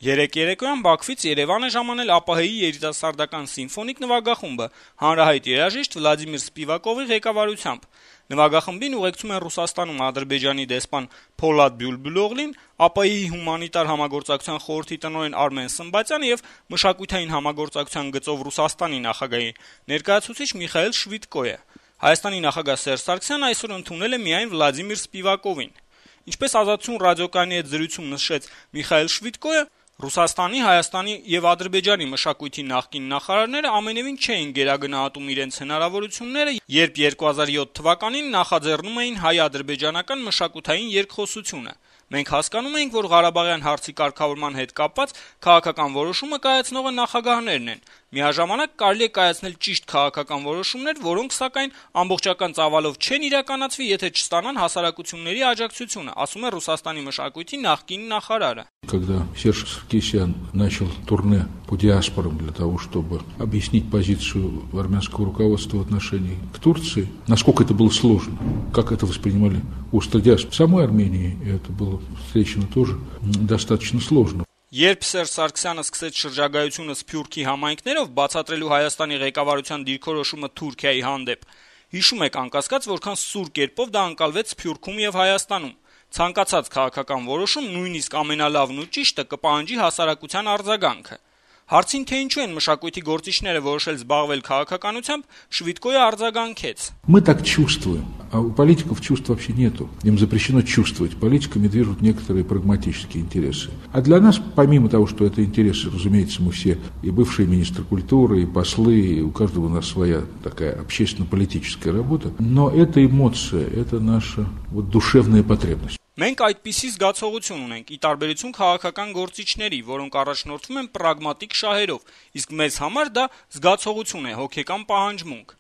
Երեկ երեկոյան Բաքվից Երևան է ժամանել ԱՊՀ-ի երիտասարդական սիմֆոնիկ նվագախումբը հանրահայտ երաժիշտ Վլադիմիր Սպիվակովի ղեկավարությամբ։ Նվագախմբին ուղեկցում են Ռուսաստանում Ադրբեջանի դեսպան Փոլադ Բյուլբուլօղլին, ԱՊՀ-ի հումանիտար համագործակցության խորհրդի տնօրեն Արմեն Սմբատյանը եւ մշակութային համագործակցության գծով Ռուսաստանի նախագահի ներկայացուցիչ Միխայել Շվիդկոյը։ Հայաստանի նախագահ Սերժ Սարգսյանը այսօր ընդունել է միայն Վլադիմիր Սպիվակովին։ Ինչպես «Ազատություն» ռադիոկայանի հետ զրույցում նշեց Միխայել Շվիդկոյը, Ռուսաստանի, Հայաստանի եւ Ադրբեջանի մշակույթի նախկին նախարարները ամենեւին չէին գերագնահատում իրենց հնարավորությունները, երբ 2007 թվականին նախաձեռնում էին հայ-ադրբեջանական մշակութային երկխոսությունը։ Մենք հասկանում էինք, որ Ղարաբաղյան հարցի կարգավորման հետ կապված քաղաքական որոշումը կայացնողը նախագահներն են։ Միաժամանակ կարելի է կայացնել ճիշտ քաղաքական որոշումներ, որոնք սակայն ամբողջական ծավալով չեն իրականացվի, եթե չստանան հասարակությունների աջակցությունը, ասում է Ռուսաստանի մշակույթի նախկին նախարարը։ Когда Серж Саркисян начал турне по диаспорам для того, чтобы объяснить позицию армянского руководства в отношении к Турции, насколько это было сложно, как это воспринимали уста диаспоры. В самой Армении это было встречено тоже достаточно сложно. Երբ Սերժ Սարգսյանը սկսեց շրջագայությունը Սփյուռքի համայնքներով բացատրելու Հայաստանի ղեկավարության դիրքորոշումը Թուրքիայի հանդեպ, հիշում եք անկասկած, որքան սուր կերպով դա ընկալվեց Սփյուռքում եւ Հայաստանում։ Ցանկացած քաղաքական որոշում, նույնիսկ ամենալավն ու ճիշտը կպահանջի հասարակության արձագանքը։ Հարցին, թե ինչու են մշակույթի գործիչները որոշել զբաղվել քաղաքականությամբ, Շվիդկոյը արձագանքեց. Мы так чувствуем, а у политиков чувств вообще нету. Им запрещено чувствовать. Политиками движут некоторые прагматические интересы. А для нас, помимо того, что это интересы, разумеется, мы все и бывшие министры культуры, и послы, и у каждого у нас своя такая общественно-политическая работа, но это эмоция, это наша душевная потребность. Մենք այդպիսի զգացողություն ունենք, ի տարբերություն քաղաքական գործիչների, որոնք առաջնորդվում են պրագմատիկ շահերով, իսկ մեզ համար դա զգացողություն է, հոգեկան պահանջմունք։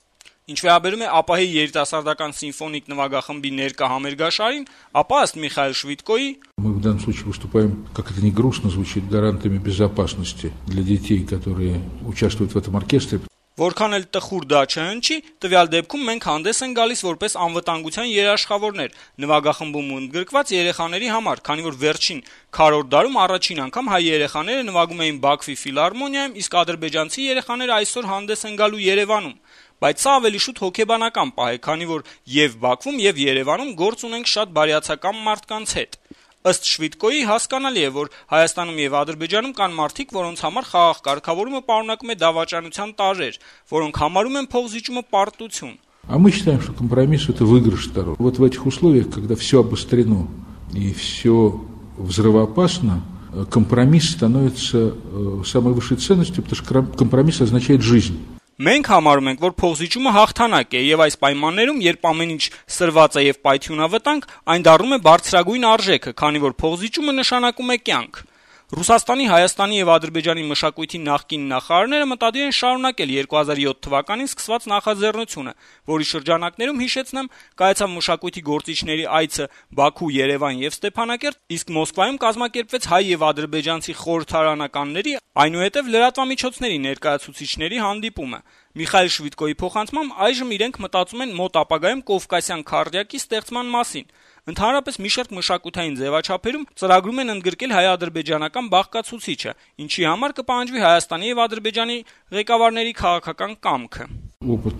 Ինչ վերաբերում է ԱՊՀ-ի երիտասարդական սիմֆոնիկ նվագախմբի ներկա համերգաշարին, ապա ըստ Միխայել Շվիդկոյի мы в данном случае выступаем, как это ни грустно звучит, гарантами безопасности для детей, которые участвуют в этом оркестре. Որքան էլ տխուր դա չհնչի, տվյալ դեպքում մենք հանդես են գալիս որպես անվտանգության երաշխավորներ նվագախմբում ընդգրկված երեխաների համար, քանի որ վերջին քառորդ դարում առաջին անգամ հայ երեխաները նվագում էին Բաքվի ֆիլհարմոնիայում, իսկ ադրբեջանցի երեխաները այսօր հանդես են գալու Երևանում։ Բայց սա ավելի շուտ հոգեբանական պահ է, քանի որ եւ Բաքվում եւ Երևանում գործ ունենք շատ բարյացակամ մարդկանց հետ։ Ըստ Շվիդկոյի հասկանալի է, որ Հայաստանում եւ Ադրբեջանում կան մարդիկ, որոնց համար խաղաղ կարգավորումը պարունակում է դավաճանության տարրեր, որոնք համարում են փոխզիջումը պարտություն։ А мы считаем, что компромисс это выигрыш сторон. Вот в этих условиях, когда все обострено и все взрывоопасно, компромисс становится самой высшей ценностью, потому что компромисс означает жизнь. Մենք համարում ենք, որ փոխզիջումը հաղթանակ է եւ այս պայմաններում, երբ ամեն ինչ սրված է եւ պայթյունավտանգ, այն դառնում է բարձրագույն արժեքը, քանի որ փոխզիջումը նշանակում է կյանք։ Ռուսաստանի, Հայաստանի եւ Ադրբեջանի մշակույթի նախկին նախարարները մտադիր են շարունակել 2007 թվականին սկսված նախաձեռնությունը, որի շրջանակներում, հիշեցնեմ, կայացավ մշակույթի գործիչների այցը Բաքու, Երևան եւ Ստեփանակերտ, իսկ Մոսկվայում կազմակերպվեց հայ եւ ադրբեջանցի խորհրդարանականների, այնուհետեւ լրատվամիջոցների ներկայացուցիչների հանդիպումը։ Միխայել Շվիդկոյի փոխանցմամբ այժմ իրենք մտածում են մոտ ապագայում Կովկասյան քառյակի ստեղծման մասին։ Ընդհանրապես մի շարք մշակութային ձևաչափերում ծրագրում են ընդգրկել հայ-ադրբեջանական բաղկացուցիչը, ինչի համար կպահանջվի Հայաստանի եւ Ադրբեջանի ղեկավարների քաղաքական կամքը։ Опыт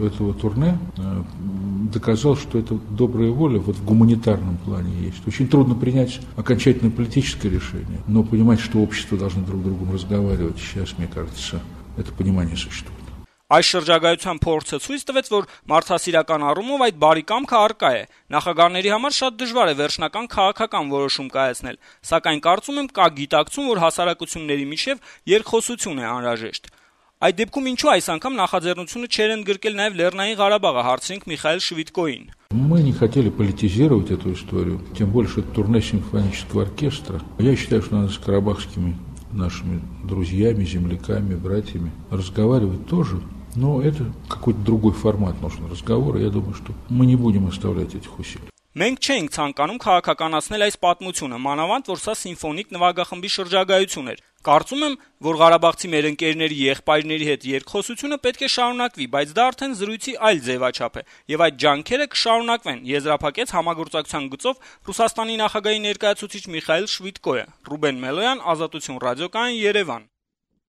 этого турне доказал, что это добрая воля вот в гуманитарном плане есть. Очень трудно принять окончательное политическое решение, но понимать, что общество должно друг с другом разговаривать, сейчас, мне кажется, это понимание существует. Այս շրջագայության փորձը ցույց տվեց, որ մարդասիրական առումով այդ բարի կամքը առկա է։ Նախագահների համար շատ դժվար է վերջնական քաղաքական որոշում կայացնել, սակայն կարծում եմ կա գիտակցում, որ հասարակությունների միջև երկխոսություն է անհրաժեշտ։ Այդ дебкում ինչու այս անգամ նախաձեռնությունը չեր ընդգրկել նաև Լեռնային Ղարաբաղը, հարցրինք Միխայել Շվիդկոյին։ Мы не хотели политизировать эту историю, тем более, что это турне симфонического оркестра. Я считаю, что надо с карабахскими нашими друзьями, земляками, братьями разговаривать тоже. Но это какой-то другой формат нужен разговора. Я думаю, что мы не будем оставлять этих усилий. Մենք չէինք ցանկանում քաղաքականացնել այս պատմությունը, մանավանդ որ սա սիմֆոնիկ նվագախմբի շրջագայություն էր։ Կարծում եմ, որ ղարաբաղցի մեր ընկերների եղբայրների հետ երկխոսությունը պետք է շարունակվի, բայց դա արդեն զրույցի այլ ձևաչափ է, եւ այդ ջանքերը կշարունակվեն, եզրափակեց համագործակցության գծով Ռուսաստանի նախագահի ներկայացուցիչ Միխայիլ Շվիդկոյը։ Ռուբեն Մելոյան, Ազատություն ռադիոկայան, Երևան։